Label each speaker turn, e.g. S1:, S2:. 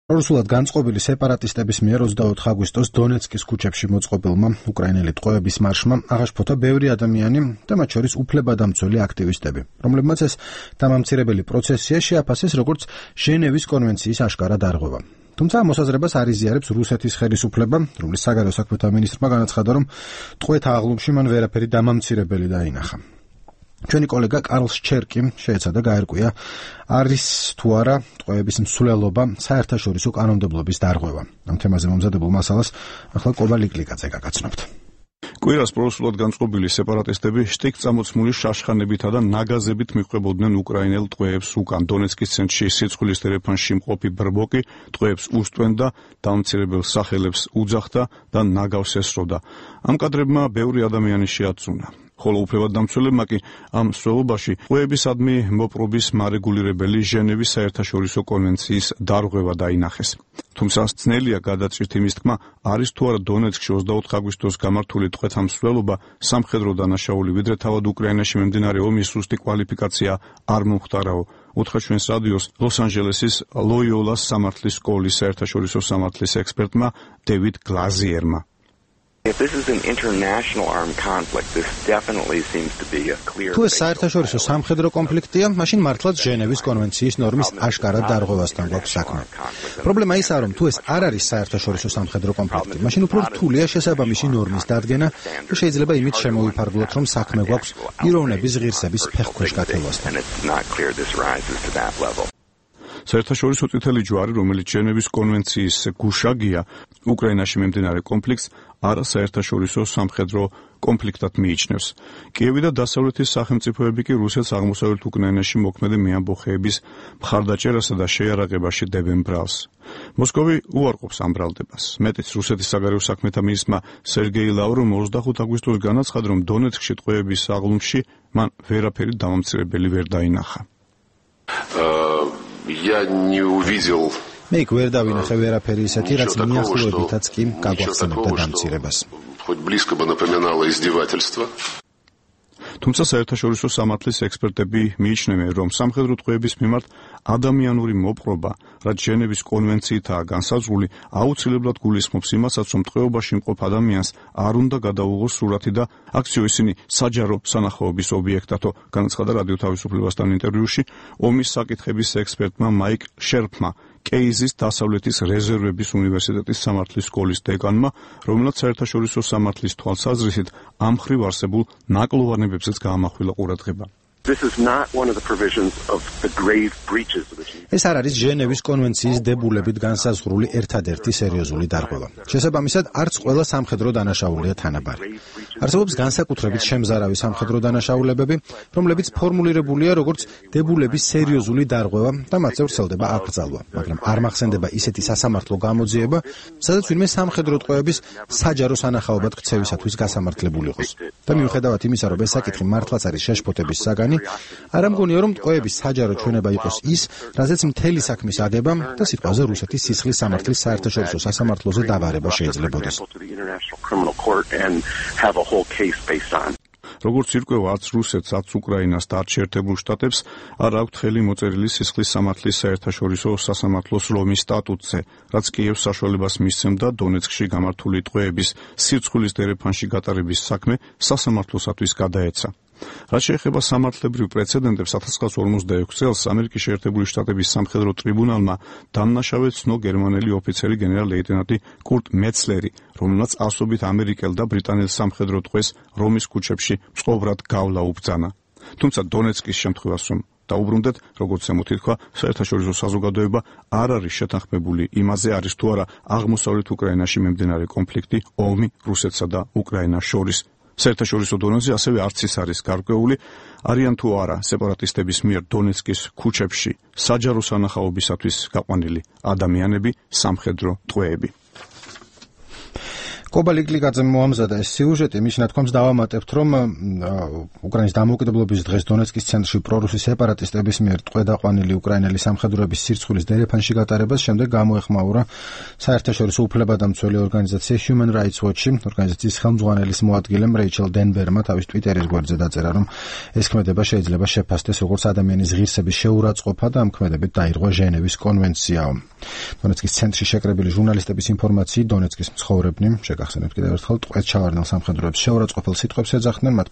S1: რუსულად განწყობილი სეპარატისტების მიერ 24 აგვისტოს დონეცკის ქუჩებში მოწყობილმა უკრაინელი ტყვეების მარშმა აღაშფოთა ბევრი ადამიანი და მათ შორის უფლებადამცველი აქტივისტები, რომლებმაც ეს დამამცირებელი პროცესია შეაფასეს როგორც ჟენევის კონვენციის აშკარა დარღვევა. თუმცა მოსაზრებას არ იზიარებს რუსეთის ხელისუფლება, რომლის საგარეო საქმეთა მინისტრმა განაცხადა, რომ ტყვეთა აღლუმში მან ვერაფერი დამამცირებელი დაინახა. ჩვენი კოლეგა კარლ შჩერკი შეეცადა გაერკვია, არის თუ არა ტყვეების მსვლელობა საერთაშორისო კანონმდებლობის დარღვევა. ამ თემაზე მომზადებულ მასალას ახლა კობა ლიკლიკაძე გაგაცნობთ.
S2: კვირას პროსულად განწყობილი სეპარატისტები შტიკწამოცმული შაშხანებითა და ნაგაზებით მიჰყვებოდნენ უკრაინელ ტყვეებს უკან. დონეცკის ცენტრში სიცხვილის ტელეფონში მყოფი ბრბოკი ტყვეებს უსტვენ და დამცირებელ სახელებს უძახდა და ნაგავს ესროდა. ამ კადრებმა ბევრი ადამიანი შეაცუნა. ხოლო უფლებადამცველებმა კი ამ მსვლელობაში ტყვეებისადმი მოპყრობის მარეგულირებელი ჟენევის საერთაშორისო კონვენციის დარღვევა დაინახეს. თუმცა ძნელია გადაწყვეტ იმის თქმა, არის თუ არა დონეცკში 24 აგვისტოს გამართული ტყვეთა მსვლელობა სამხედრო დანაშაული, ვიდრე თავად უკრაინაში მიმდინარე ომის სუსტი კვალიფიკაცია არ მომხდარაო. უთხრა ჩვენს რადიოს ლოს-ანჯელესის ლოიოლას სამართლის სკოლის საერთაშორისო სამართლის ექსპერტმა დევიდ გლაზიერმა.
S1: თუ ეს საერთაშორისო სამხედრო კონფლიქტია, მაშინ მართლაც ჟენევის კონვენციის ნორმის აშკარად დარღვევასთან გვაქვს საქმე. პრობლემა ისაა, რომ თუ ეს არ არის საერთაშორისო სამხედრო კონფლიქტი, მაშინ უფრო რთულია შესაბამისი ნორმის დადგენა და შეიძლება იმით შემოვიფარგლოთ, რომ საქმე გვაქვს პიროვნების ღირსების ფეხქვეშ გათევასთან.
S2: საერთაშორისო წითელი ჯვარი, რომელიც ჟენევის კონვენციის გუშაგია, უკრაინაში მიმდინარე კონფლიქტს არა საერთაშორისო სამხედრო კონფლიქტად მიიჩნევს. კიევი და დასავლეთის სახელმწიფოები კი რუსეთს აღმოსავლეთ უკრაინაში მოქმედი მეამბოხეების მხარდაჭერასა და შეიარაღებაში დებენ ბრალს. მოსკოვი უარყოფს ამ ბრალდებას. მეტიც რუსეთის საგარეო საქმეთა მინისტრმა სერგეი ლავროვმა 25 აგვისტოს განაცხადა, რომ დონეცკში ტყვეების აღლუმში მან ვერაფერი დამამცირებელი ვერ დაინახა.
S1: მე იქ ვერ დავინახე ვერაფერი ისეთი, რაც მიახლოებითაც კი გაგვახსენებდა დამცირებას.
S2: თუმცა საერთაშორისო სამართლის ექსპერტები მიიჩნევენ, რომ სამხედრო ტყვეების მიმართ ადამიანური მოპყრობა, რაც ჟენევის კონვენციითაა განსაზღვრული, აუცილებლად გულისხმობს იმასაც, რომ ტყვეობაში მყოფ ადამიანს არ უნდა გადაუღოს სურათი და აქციო ისინი საჯარო სანახაობის ობიექტათო, განაცხადა რადიო თავისუფლებასთან ინტერვიუში ომის საკითხების ექსპერტმა მაიკ შერფმა, კეიზის დასავლეთის რეზერვების უნივერსიტეტის სამართლის სკოლის დეკანმა, რომელსაც საერთაშორისო სამართლის თვალსაზრისით ამ მხრივ არსებულ ნაკლოვანებებზეც გაამახვილა ყურადღება.
S1: ეს არ არის ჟენევის კონვენციის დებულებით განსაზღვრული ერთადერთი სერიოზული დარღვევა. შესაბამისად, არც ყველა სამხედრო დანაშაულია თანაბარი. არსებობს განსაკუთრებით შემზარავი სამხედრო დანაშაულებები, რომლებიც ფორმულირებულია როგორც დებულების სერიოზული დარღვევა და მათზე ვრცელდება აკრძალვა, მაგრამ არ მახსენდება ისეთი სასამართლო გამოძიება, სადაც ვინმე სამხედრო ტყვეების საჯარო სანახაობად ქცევისათვის გასამართლებული იყოს. და მიუხედავად იმისა, რომ ეს საკითხი მართლაც არის შეშფოთების საგანი, არ ამგონია, რომ ტყვეების საჯარო ჩვენება იყოს ის, რაზეც მთელი საქმის ადება და სიტყვაზე რუსეთის სისხლის სამართლის საერთაშორისო სასამართლოზე დავარება შეიძლებოდეს.
S2: როგორც ირკვევა, არც რუსეთს, არც უკრაინას და არც შეერთებულ შტატებს არ აქვთ ხელი მოწერილი სისხლის სამართლის საერთაშორისო სასამართლოს რომის სტატუტზე, რაც კიევს საშუალებას მისცემდა დონეცკში გამართული ტყვეების სიცხვილის ტელეფონში გატარების საქმე სასამართლოსათვის გადაეცა. რაც შეეხება სამართლებრივ პრეცედენტებს, 1946 წელს ამერიკის შეერთებული შტატების სამხედრო ტრიბუნალმა დამნაშავედ ცნო გერმანელი ოფიცერი გენერალ-ლეიტენანტი კურტ მეცლერი, რომელმაც ასობით ამერიკელ და ბრიტანელ სამხედრო ტყვეს რომის ქუჩებში მწყობრად გავლა უბრძანა. თუმცა დონეცკის შემთხვევას რომ დაუბრუნდეთ, როგორც ემოთითქვა, საერთაშორისო საზოგადოება არ არის შეთანხმებული იმაზე, არის თუ არა აღმოსავლეთ უკრაინაში მიმდინარე კონფლიქტი, ომი რუსეთსა და უკრაინას შორის. საერთაშორისო დონეზე ასევე არც ის არის გარკვეული, არიან თუ არა სეპარატისტების მიერ დონეცკის ქუჩებში საჯარო სანახაობისათვის გაყვანილი ადამიანები, სამხედრო ტყვეები.
S1: კობა ლიკლიკაძემ მოამზადა ეს სიუჟეტი, მის ნათქვამს დავამატებთ, რომ უკრაინის დამოუკიდებლობის დღეს დონეცკის ცენტრში პრორუსი სეპარატისტების მიერ ტყვედაყვანილი უკრაინელი სამხედროების სირცხვილის დერეფანში გატარებას შემდეგ გამოეხმაურა საერთაშორისო უფლებადამცველი ორგანიზაცია Human Rights Watch-ი. ორგანიზაციის ხელმძღვანელის მოადგილემ რეიჩელ დენბერმა თავის ტვიტერის გვერდზე დაწერა, რომ ეს ქმედება შეიძლება შეფასდეს როგორც ადამიანის ღირსების შეურაცხყოფა და ამ ქმედებით დაირღვა ჟენევის კონვენციაო. დონეცკის ცენტრში შეკრებილი ჟურნალისტების ინფორმაციით დონეცკის მცხოვრებნი, შეგახსენებთ კიდევ ერთხელ, ტყვედ ჩავარდნილ სამხედროებს შეურაცხყოფელ სიტყვებს ეძახდნენ, მათ